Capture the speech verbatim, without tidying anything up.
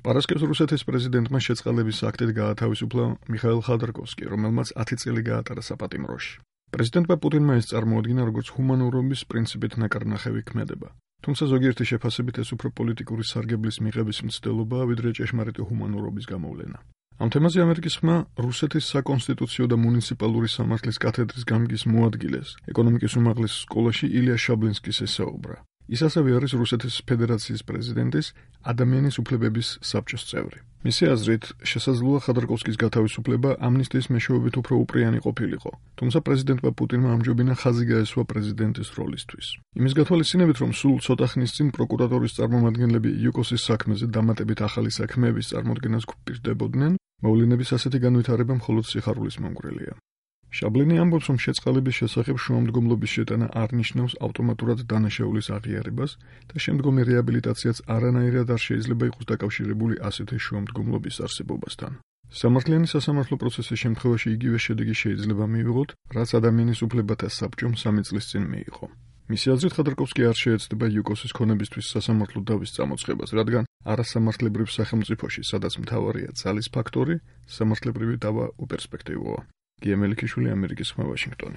პარასკევს რუსეთის პრეზიდენტმა შეწყალების აქტით გაათავისუფლა მიხაილ ხოდორკოვსკი, რომელმაც ათი წელი გაატარა საპატიმროში. პრეზიდენტმა პუტინმა ეს წარმოადგინა როგორც ჰუმანურობის პრინციპით ნაკარნახევი ქმედება. თუმცა ზოგიერთი შეფასებით ეს უფრო პოლიტიკური სარგებლის მიღების მცდელობაა, ვიდრე ჭეშმარიტი ჰუმანურობის გამოვლენა. ამ თემაზე ამერიკის ხმა რუსეთის საკონსტიტუციო და მუნიციპალური სამართლის კათედრის გამგის მოადგილეს ეკონომიკის უმაღლეს სკოლაში ილია შაბლინსკის ესაუბრა. ის ასევე არის რუსეთის ფედერაციის პრეზიდენტის ადამიანის უფლებების საბჭოს წევრი. მისი აზრით, შესაძლოა ხოდორკოვსკის გათავისუფლება ამნისტიის მეშვეობით უფრო უპრიანი ყოფილიყო, თუმცა პრეზიდენტმა პუტინმა ამჯობინა ხაზი გაესვა პრეზიდენტის როლისთვის. იმის გათვალისწინებით, რომ სულ ცოტა ხნის წინ პროკურატურის წარმომადგენლები იუკოსის საქმეზე დამატებით ახალი საქმეების წარმოქმნას გვპირდებოდნენ, მოვლენების ასეთი განვითარება მხოლოდ სიხარულის მომგვრელია. შაბლინი ამბობს, რომ შეწყალების შესახებ შუამდგომლობის შეტანა არ ნიშნავს ავტომატურად დანაშაულის აღიარებას და შემდგომი რეაბილიტაციაც არანაირად არ შეიძლება იყოს დაკავშირებული ასეთი შუამდგომლობის არსებობასთან. სამართლიანი სასამართლო პროცესის შემთხვევაში იგივე შედეგი შეიძლება მიიღოთ, რაც ადამიანის უფლებათა საბჭომ სამი წლის წინ მიიღო. მისი აზრით, ხოდორკოვსკი არ შეეცდება იუკოსის ქონებისთვის სასამართლო დავის წამოწყებას, რადგან არასამართლებრივ სახელმწიფოში, სადაც მთავარია ძალის ფაქტორი, სამართლებრივი დავა უპერსპექტივოა. გია მელიქიშვილი, ამერიკის ხმა, ვაშინგტონი.